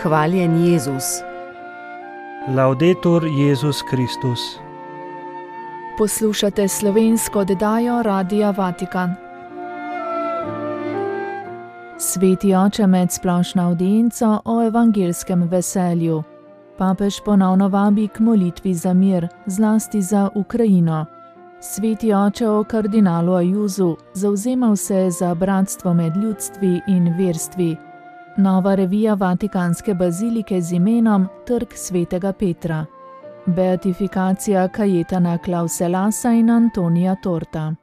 Hvaljen Jezus. Laudetur Jezus Kristus. Poslušate slovensko oddajo Radia Vatikan. Sveti oče med splošno avdienco o evangelskem veselju. Papež ponovno vabi k molitvi za mir, zlasti za Ukrajino. Sveti oče o kardinalu Ajuzu zavzemal se za bratstvo med ljudstvi in verstvi. Nova revija Vatikanske bazilike z imenom Trg svetega Petra. Beatifikacija Kajetana Klauselasa in Antonija Torta.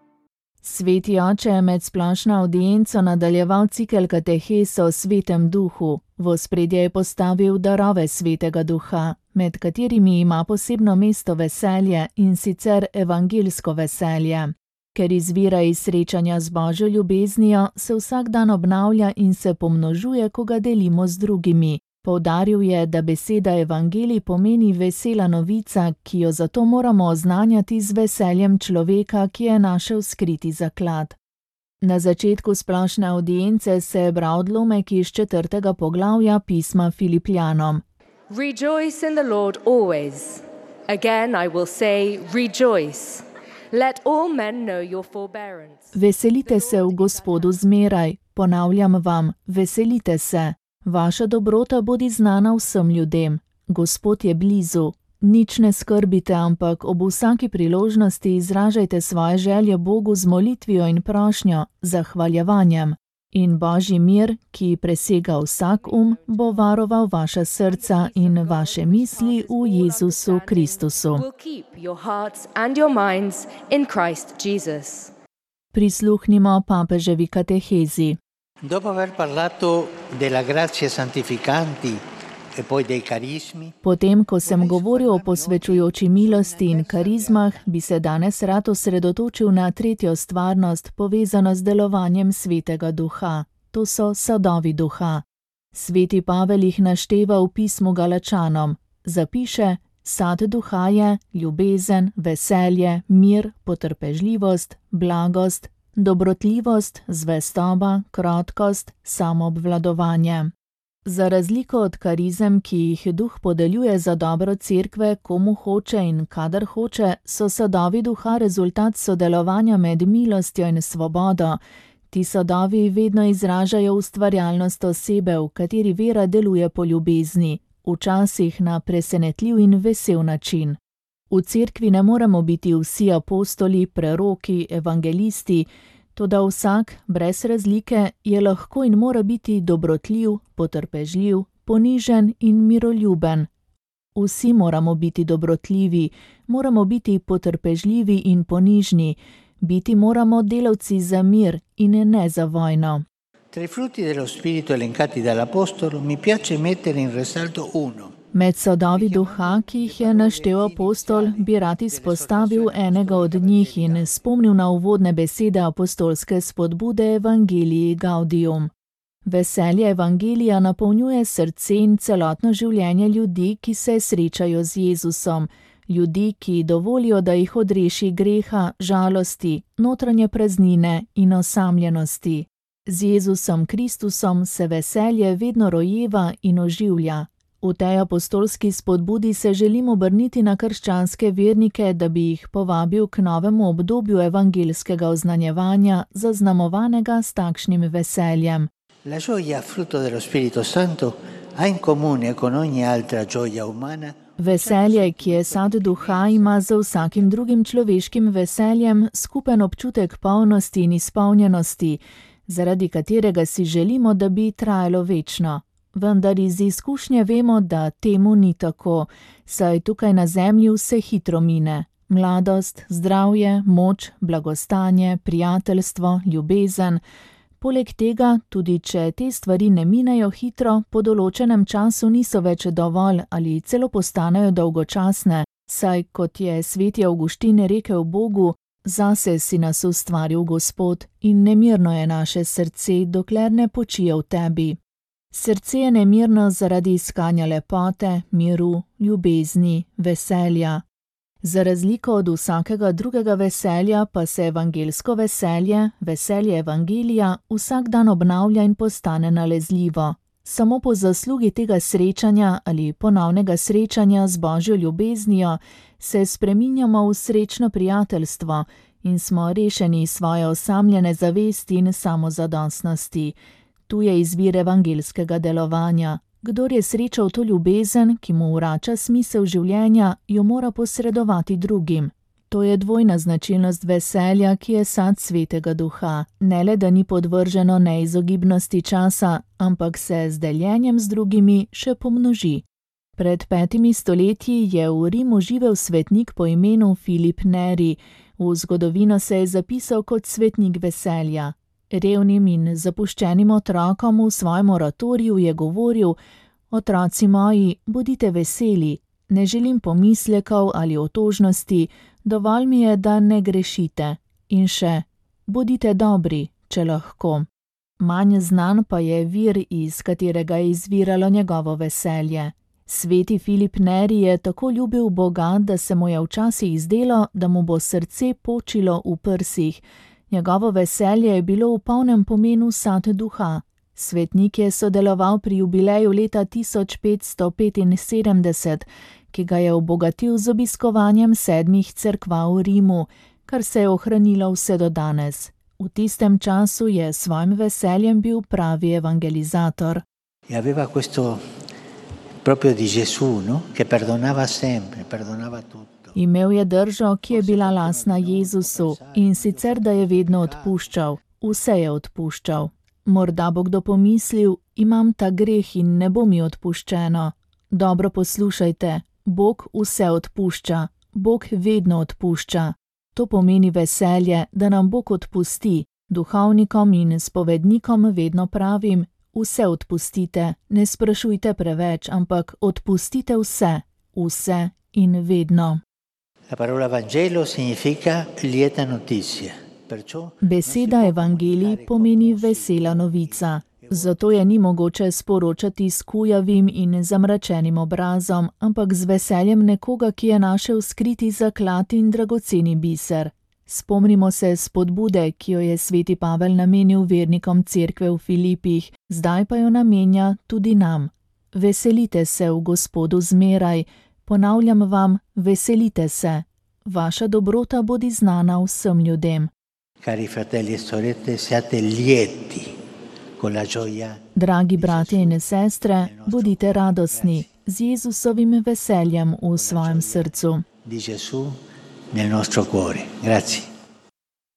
Sveti oče je med splošno avdienco nadaljeval cikel katehes o svetem duhu. V ospredje je postavil darove svetega duha, med katerimi ima posebno mesto veselje, in sicer evangelsko veselje. Ker izvira iz srečanja z Božjo ljubeznijo, se vsak dan obnavlja in se pomnožuje, ko ga delimo z drugimi. Poudaril je, da beseda evangelij pomeni vesela novica, ki jo zato moramo oznanjati z veseljem človeka, ki je našel skriti zaklad. Na začetku splošne avdience se je bral odlomek iz 4. poglavja pisma Filipljanom. Rejoice in the Lord always. Again I will say, rejoice. Let all men know your forbearance. Veselite se v Gospodu zmeraj, ponavljam vam, veselite se. Vaša dobrota bodi znana vsem ljudem. Gospod je blizu. Nič ne skrbite, ampak ob vsaki priložnosti izražajte svoje želje Bogu z molitvijo in prošnjo, zahvaljevanjem. In Božji mir, ki presega vsak bo varoval vaša srca in vaše misli v Jezusu Kristusu. Prisluhnimo papeževi katehezi. Dopo aver parlato della grazia santificanti e poi dei carismi. Potem, ko sem govoril o posvečujoči milosti in karizmah, bi se danes rad osredotočil na tretjo stvarnost, povezano z delovanjem svetega duha. To so sadovi duha. Sveti Pavel jih našteva v pismu Galačanom. Zapiše: sad duha je ljubezen, veselje, mir, potrpežljivost, blagost, dobrotljivost, zvestoba, krotkost, samoobvladovanje. Za razliko od karizem, ki jih duh podeljuje za dobro cerkve, komu hoče in kadar hoče, so sadovi duha rezultat sodelovanja med milostjo in svobodo. Ti sadovi vedno izražajo ustvarjalnost osebe, v kateri vera deluje po ljubezni, včasih na presenetljiv in vesel način. V cerkvi ne moremo biti vsi apostoli, preroki, evangelisti, toda vsak, brez razlike, je lahko in mora biti dobrotljiv, potrpežljiv, ponižen in miroljuben. Vsi moramo biti dobrotljivi, moramo biti potrpežljivi in ponižni, biti moramo delavci za mir in ne za vojno. Tra i frutti dello spirito elencati dall'apostolo mi piace mettere in risalto uno. Med sadovi duha, ki jih je naštel apostol, bi rad izpostavil enega od njih in spomnil na uvodne besede apostolske spodbude Evangelii Gaudium. Veselje evangelija napolnjuje srce in celotno življenje ljudi, ki se srečajo z Jezusom, ljudi, ki dovolijo, da jih odreši greha, žalosti, notranje praznine in osamljenosti. Z Jezusom Kristusom se veselje vedno rojeva in oživlja. V tej apostolski spodbudi se želim obrniti na krščanske vernike, da bi jih povabil k novemu obdobju evangelskega oznanjevanja, zaznamovanega s takšnim veseljem. La gioia frutto dello Spirito Santo ha in comune con ogni altra gioia umana. Veselje, ki je sad duha, ima za vsakim drugim človeškim veseljem skupen občutek polnosti in izpolnjenosti, zaradi katerega si želimo, da bi trajalo večno. Vendar iz izkušnje vemo, da temu ni tako, saj tukaj na zemlji vse hitro mine. Mladost, zdravje, moč, blagostanje, prijateljstvo, ljubezen. Poleg tega, tudi če te stvari ne minejo hitro, po določenem času niso več dovolj ali celo postanejo dolgočasne, saj, kot je sveti Avguštin rekel Bogu, zase si nas ustvaril Gospod in nemirno je naše srce, dokler ne počije v tebi. Srce je nemirno zaradi iskanja lepote, miru, ljubezni, veselja. Za razliko od vsakega drugega veselja pa se evangelsko veselje, veselje evangelija, vsak dan obnavlja in postane nalezljivo. Samo po zaslugi tega srečanja ali ponovnega srečanja z Božjo ljubeznijo se spreminjamo v srečno prijateljstvo in smo rešeni svoje osamljene zavesti in samozadostnosti. Tu je izvir evangelskega delovanja. Kdor je srečal to ljubezen, ki mu vrača smisel življenja, jo mora posredovati drugim. To je dvojna značilnost veselja, ki je sad Svetega Duha. Ne le, da ni podvrženo neizogibnosti časa, ampak se z deljenjem z drugimi še pomnoži. Pred 5 stoletji je v Rimu živel svetnik po imenu Filip Neri. V zgodovino se je zapisal kot svetnik veselja. Revnim in zapuščenim otrokom v svojem oratoriju je govoril: Otroci moji, bodite veseli, ne želim pomislekov ali otožnosti, dovolj mi je, da ne grešite. In še, bodite dobri, če lahko. Manj znan pa je vir, iz katerega je izviralo njegovo veselje. Sveti Filip Neri je tako ljubil Boga, da se mu je včasih zdelo, da mu bo srce počilo v prsih. Njegovo veselje je bilo v polnem pomenu sad duha. Svetnik je sodeloval pri jubileju leta 1575, ki ga je obogatil z obiskovanjem 7 cerkva v Rimu, kar se je ohranilo vse do danes. V tistem času je s svojim veseljem bil pravi evangelizator. Aveva questo proprio di Gesù, no? Che perdonava sempre, perdonava tutto. Imel je držo, ki je bila lastna Jezusu, in sicer, da je vedno odpuščal. Vse je odpuščal. Morda bo kdo pomislil: imam ta greh in ne bo mi odpuščeno. Dobro poslušajte, Bog vse odpušča. Bog vedno odpušča. To pomeni veselje, da nam Bog odpusti. Duhovnikom in spovednikom vedno pravim: vse odpustite, ne sprašujte preveč, ampak odpustite vse, vse in vedno. La parola Vangelo significa lieta notizia. Beseda evangelij pomeni vesela novica. Zato je ni mogoče sporočati s kujavim in zamračenim obrazom, ampak z veseljem nekoga, ki je našel skriti zaklad in dragoceni biser. Spomnimo se spodbude, ki jo je sveti Pavel namenil vernikom cerkve v Filipih, zdaj pa jo namenja tudi nam. Veselite se v Gospodu zmeraj. Ponavljam vam, veselite se. Vaša dobrota bodi znana vsem ljudem. Cari fratelli e sorelle, siate lieti con la gioia. Dragi bratje in sestre, bodite radostni z Jezusovim veseljem v svojem srcu. Di Gesù nel nostro cuore. Grazie.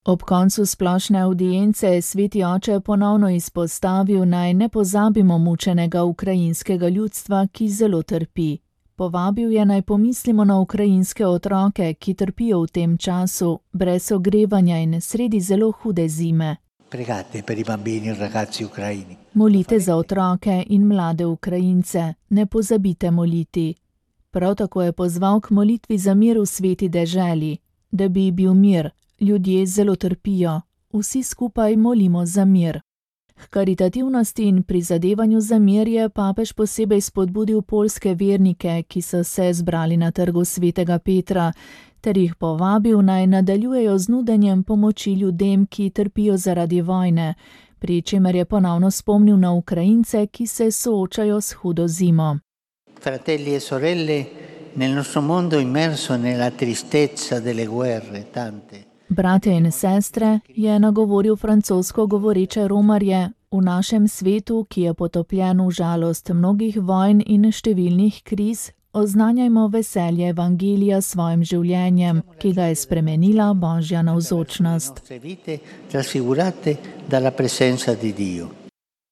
Ob koncu splošne avdience je sveti oče ponovno izpostavil, naj ne pozabimo mučenega ukrajinskega ljudstva, ki zelo trpi. Povabil je, naj pomislimo na ukrajinske otroke, ki trpijo v tem času, brez ogrevanja in sredi zelo hude zime. Pregate per i bambini in ragazzi ucraini. Molite za otroke in mlade Ukrajince, ne pozabite moliti. Prav tako je pozval k molitvi za mir v sveti deželi, da bi bil mir. Ljudje zelo trpijo, vsi skupaj molimo za mir. H karitativnosti in prizadevanju za mir je papež posebej spodbudil poljske vernike, ki so se zbrali na trgu svetega Petra, ter jih povabil, naj nadaljujejo z nudenjem pomoči ljudem, ki trpijo zaradi vojne, pri čemer je ponovno spomnil na Ukrajince, ki se soočajo s hudo zimo. Fratelli e sorelle, nel nostro mondo immerso nella tristezza delle guerre, tante. Brate in sestre, je nagovoril francosko govoreče romarje, v našem svetu, ki je potopljen v žalost mnogih vojn in številnih kriz, oznanjajmo veselje evangelija s svojim življenjem, ki ga je spremenila Božja navzočnost.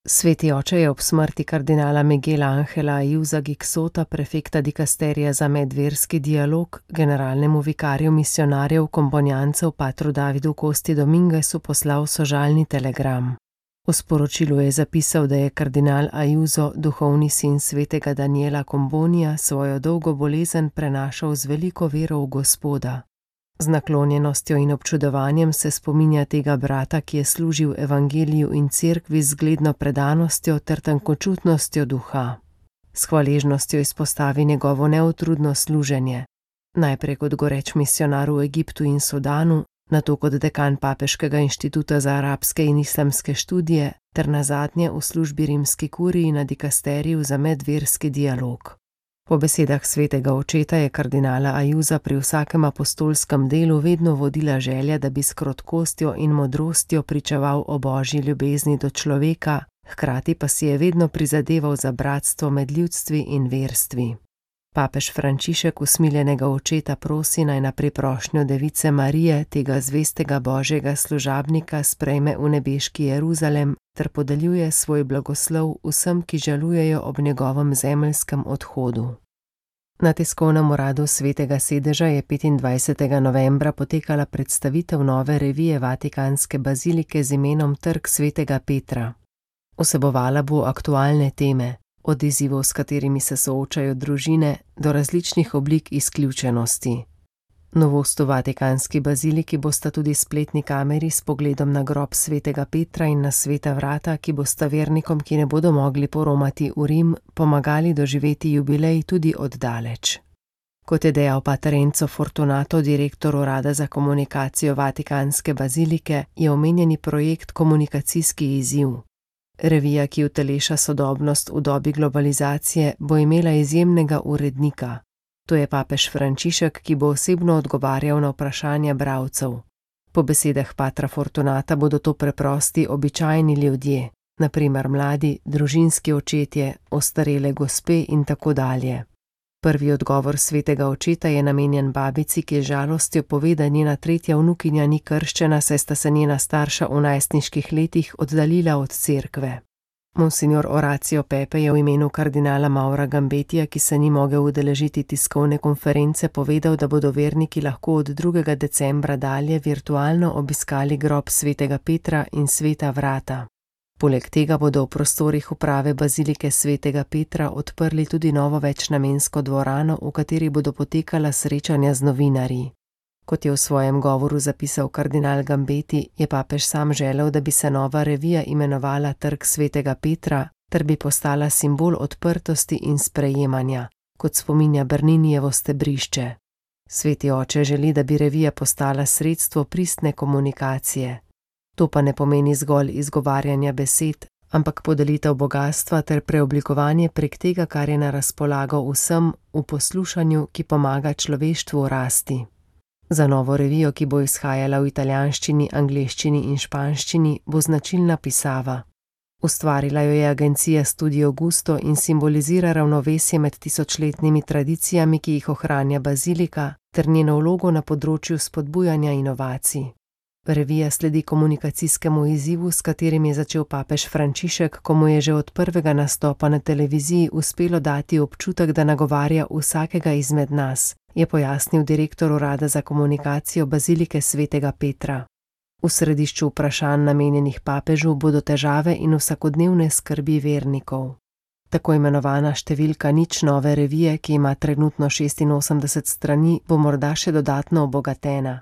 Sveti oče je ob smrti kardinala Miguela Angela Ayuza Gixota, prefekta dikasterija za medverski dialog, generalnemu vikarju misionarjev komponjancev patru Davidu Costi Dominguesu poslal sožalni telegram. V sporočilu je zapisal, da je kardinal Ayuso, duhovni sin svetega Daniela Combonija, svojo dolgo bolezen prenašal z veliko vero v Gospoda. Z naklonjenostjo in občudovanjem se spominja tega brata, ki je služil evangeliju in cerkvi z zgledno predanostjo ter tankočutnostjo duha. S hvaležnostjo izpostavi njegovo neutrudno služenje. Najprej kot goreč misionar v Egiptu in Sudanu, nato kot dekan Papeškega inštituta za arabske in islamske študije ter nazadnje v službi rimski kuriji na dikasteriju za medverski dialog. Po besedah svetega očeta je kardinala Ajuza pri vsakem apostolskem delu vedno vodila želja, da bi s krotkostjo in modrostjo pričeval o božji ljubezni do človeka, hkrati pa si je vedno prizadeval za bratstvo med ljudstvi in verstvi. Papež Frančišek usmiljenega očeta prosi, naj na priprošnjo device Marije, tega zvestega božjega služabnika, sprejme v nebeški Jeruzalem ter podeljuje svoj blagoslov vsem, ki žalujejo ob njegovem zemeljskem odhodu. Na tiskovnem uradu Svetega sedeža je 25. novembra potekala predstavitev nove revije Vatikanske bazilike z imenom Trg svetega Petra. Vsebovala bo aktualne teme, od izzivov, s katerimi se soočajo družine, do različnih oblik izključenosti. Novost v Vatikanski baziliki bosta tudi spletni kameri s pogledom na grob svetega Petra in na sveta vrata, ki bosta vernikom, ki ne bodo mogli poromati v Rim, pomagali doživeti jubilej tudi od daleč. Kot je dejal pater Enzo Fortunato, direktor urada za komunikacijo Vatikanske bazilike, je omenjeni projekt komunikacijski izziv. Revija, ki uteleša sodobnost v dobi globalizacije, bo imela izjemnega urednika. To je papež Frančišek, ki bo osebno odgovarjal na vprašanja bralcev. Po besedah patra Fortunata bodo to preprosti, običajni ljudje, na primer mladi, družinski očetje, ostarele gospe in tako dalje. Prvi odgovor svetega očeta je namenjen babici, ki je žalostjo pove, da njena tretja vnukinja ni krščena, saj sta se njena starša v najstniških letih oddaljila od cerkve. Monsignor Oracio Pepe je v imenu kardinala Maura Gambetija, ki se ni mogel udeležiti tiskovne konference, povedal, da bodo verniki lahko od 2. decembra dalje virtualno obiskali grob svetega Petra in sveta vrata. Poleg tega bodo v prostorih uprave bazilike svetega Petra odprli tudi novo večnamensko dvorano, v kateri bodo potekala srečanja z novinarji. Kot je v svojem govoru zapisal kardinal Gambeti, je papež sam želel, da bi se nova revija imenovala Trg svetega Petra, ter bi postala simbol odprtosti in sprejemanja, kot spominja Berninijevo stebrišče. Sveti oče želi, da bi revija postala sredstvo pristne komunikacije. To pa ne pomeni zgolj izgovarjanja besed, ampak podelitev bogastva ter preoblikovanje prek tega, kar je na razpolago vsem v poslušanju, ki pomaga človeštvu rasti. Za novo revijo, ki bo izhajala v italijanščini, angleščini in španščini, bo značilna pisava. Ustvarila jo je agencija Studio Gusto in simbolizira ravnovesje med tisočletnimi tradicijami, ki jih ohranja bazilika, ter njeno vlogo na področju spodbujanja inovacij. Revija sledi komunikacijskemu izzivu, s katerim je začel papež Frančišek, ko mu je že od prvega nastopa na televiziji uspelo dati občutek, da nagovarja vsakega izmed nas, je pojasnil direktor urada za komunikacijo bazilike svetega Petra. V središču vprašanj namenjenih papežu bodo težave in vsakodnevne skrbi vernikov. Tako imenovana številka nič nove revije, ki ima trenutno 86 strani, bo morda še dodatno obogatena.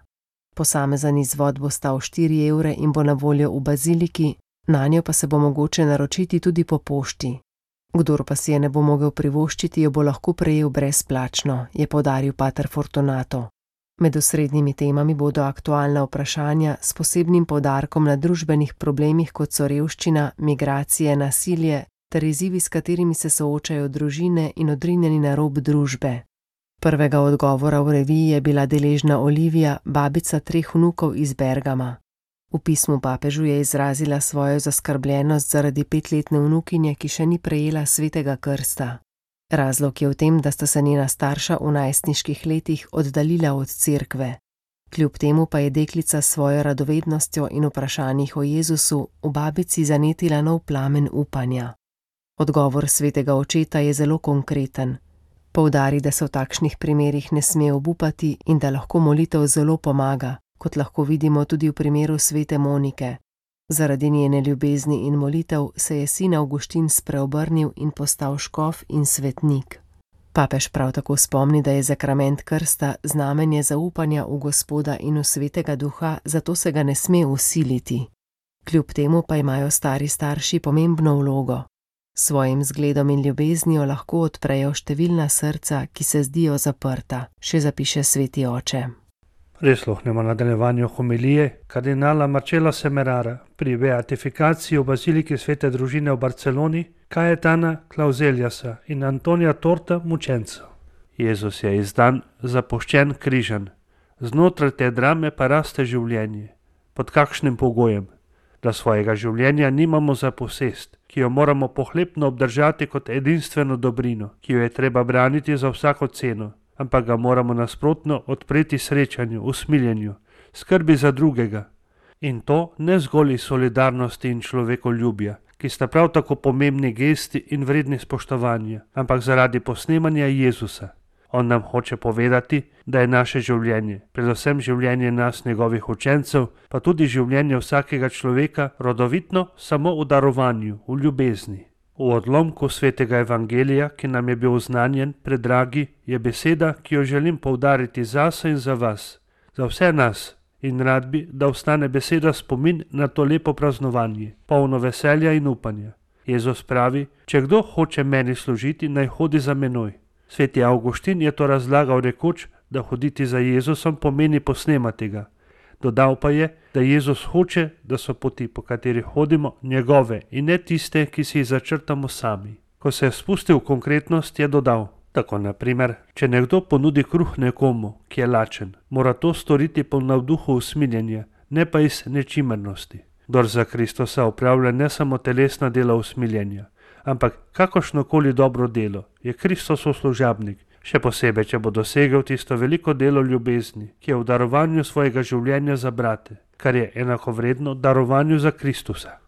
Posamezen izvod bo stal 4 evre in bo na voljo v baziliki, nanjo pa se bo mogoče naročiti tudi po pošti. Kdor pa si je ne bo mogel privoščiti, jo bo lahko prejel brezplačno, je poudaril pater Fortunato. Med osrednjimi temami bodo aktualna vprašanja s posebnim poudarkom na družbenih problemih, kot so revščina, migracije, nasilje ter izzivi, s katerimi se soočajo družine in odrinjeni na rob družbe. Prvega odgovora v reviji je bila deležna Olivija, babica 3 vnukov iz Bergama. V pismu papežu je izrazila svojo zaskrbljenost zaradi 5-letne vnukinje, ki še ni prejela svetega krsta. Razlog je v tem, da sta se njena starša v najstniških letih oddaljila od cerkve. Kljub temu pa je deklica s svojo radovednostjo in vprašanjih o Jezusu v babici zanetila nov plamen upanja. Odgovor svetega očeta je zelo konkreten. Poudari, da se v takšnih primerih ne sme obupati in da lahko molitev zelo pomaga, kot lahko vidimo tudi v primeru svete Monike. Zaradi njene ljubezni in molitev se je sin Avguštin spreobrnil in postal škof in svetnik. Papež prav tako spomni, da je zakrament krsta znamenje zaupanja v Gospoda in v svetega duha, zato se ga ne sme vsiliti. Kljub temu pa imajo stari starši pomembno vlogo. Svojim zgledom in ljubeznijo lahko odprejo številna srca, ki se zdijo zaprta, še zapiše sveti oče. Prisluhnemo nadaljevanju homilije kardinala Marcela Semerara pri beatifikaciji v baziliki Svete družine v Barceloni Cayetana Clauseliasa in Antonija Torta mučencev. Jezus je izdan, zapuščen, križan. Znotraj te drame pa raste življenje. Pod kakšnim pogojem? Da svojega življenja nimamo za posest, ki jo moramo pohlepno obdržati kot edinstveno dobrino, ki jo je treba braniti za vsako ceno, ampak ga moramo nasprotno odpreti srečanju, usmiljenju, skrbi za drugega. In to ne zgolj iz solidarnosti in človekoljubja, ki sta prav tako pomembni gesti in vredni spoštovanja, ampak zaradi posnemanja Jezusa. On nam hoče povedati, da je naše življenje, predvsem življenje nas, njegovih učencev, pa tudi življenje vsakega človeka, rodovitno samo v darovanju, v ljubezni. V odlomku svetega evangelija, ki nam je bil oznanjen, predragi, je beseda, ki jo želim poudariti zase in za vas, za vse nas, in rad bi, da ostane beseda spomin na to lepo praznovanje, polno veselja in upanja. Jezus pravi, če kdo hoče meni služiti, naj hodi za menoj. Sveti Avguštin je to razlagal rekoč, da hoditi za Jezusom pomeni posnemati ga. Dodal pa je, da Jezus hoče, da so poti, po katerih hodimo, njegove in ne tiste, ki si jih začrtamo sami. Ko se je spustil v konkretnost, je dodal, tako naprimer, če nekdo ponudi kruh nekomu, ki je lačen, mora to storiti po navduhu usmiljenja, ne pa iz nečimrnosti. Kdor za Kristusa opravlja ne samo telesna dela usmiljenja, ampak kakršnokoli dobro delo, je Kristosov služabnik, še posebej, če bo dosegel tisto veliko delo ljubezni, ki je v darovanju svojega življenja za brate, kar je enakovredno darovanju za Kristusa.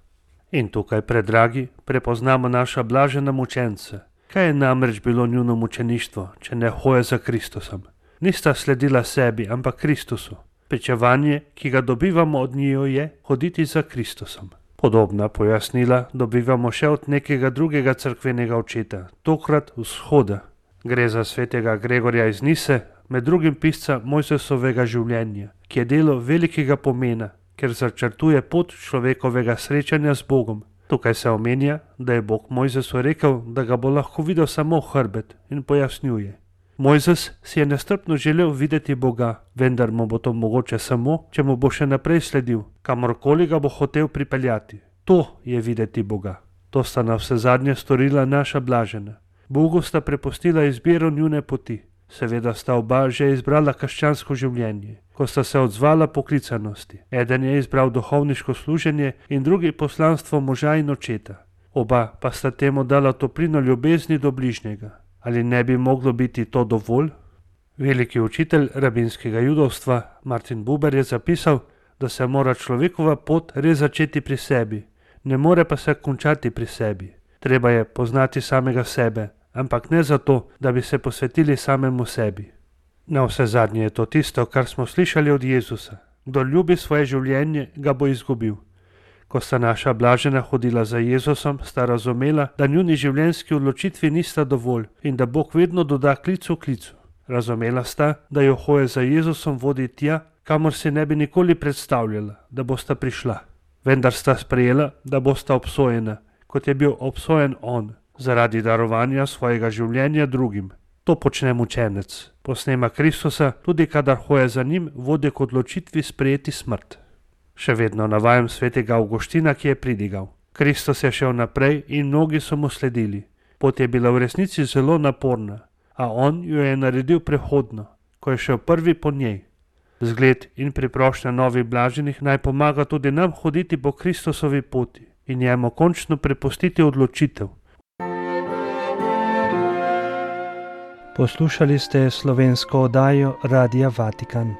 In tukaj, predragi, prepoznamo naša blažena mučenca. Kaj je namreč bilo njuno mučeništvo, če ne hoje za Kristusom? Nista sledila sebi, ampak Kristusu. Pričevanje, ki ga dobivamo od njiju, je hoditi za Kristusom. Podobna pojasnila dobivamo še od nekega drugega cerkvenega očeta, tokrat vzhoda. Gre za svetega Gregorja iz Nise, med drugim pisca Mojzesovega življenja, ki je delo velikega pomena, ker začrtuje pot človekovega srečanja z Bogom. Tukaj se omenja, da je Bog Mojzesu rekel, da ga bo lahko videl samo v hrbet, in pojasnjuje. Mojzes si je nestrpno želel videti Boga, vendar mu bo to mogoče samo, če mu bo še naprej sledil, kamorkoli ga bo hotel pripeljati. To je videti Boga. To sta na vse zadnje storila naša blažena. Bogu sta prepustila izbiro njune poti. Seveda sta oba že izbrala krščansko življenje, ko sta se odzvala poklicanosti. Eden je izbral duhovniško služenje in drugi poslanstvo moža in očeta. Oba pa sta temu dala toplino ljubezni do bližnjega. Ali ne bi moglo biti to dovolj? Veliki učitelj rabinskega judovstva Martin Buber je zapisal, da se mora človekova pot res začeti pri sebi, ne more pa se končati pri sebi. Treba je poznati samega sebe, ampak ne zato, da bi se posvetili samemu sebi. Na vse zadnje je to tisto, kar smo slišali od Jezusa. Kdor ljubi svoje življenje, ga bo izgubil. Ko sta naša blažena hodila za Jezusom, sta razumela, da njuni življenjski odločitvi nista dovolj in da Bog vedno doda klicu klicu. Razumela sta, da jo hoje za Jezusom vodi tja, kamor si ne bi nikoli predstavljala, da bosta prišla. Vendar sta sprejela, da bosta obsojena, kot je bil obsojen on, zaradi darovanja svojega življenja drugim. To počne mučenec. Posnema Kristusa, tudi kadar hoje za njim, vodi k odločitvi sprejeti smrt. Še vedno navajam svetega Avguština, ki je pridigal. Kristus je šel naprej in mnogi so mu sledili. Pot je bila v resnici zelo naporna, a on jo je naredil prehodno, ko je šel prvi po njej. Zgled in priprošnja novih blaženih naj pomaga tudi nam hoditi po Kristusovi poti in njemu končno prepustiti odločitev. Poslušali ste slovensko oddajo Radia Vatikan.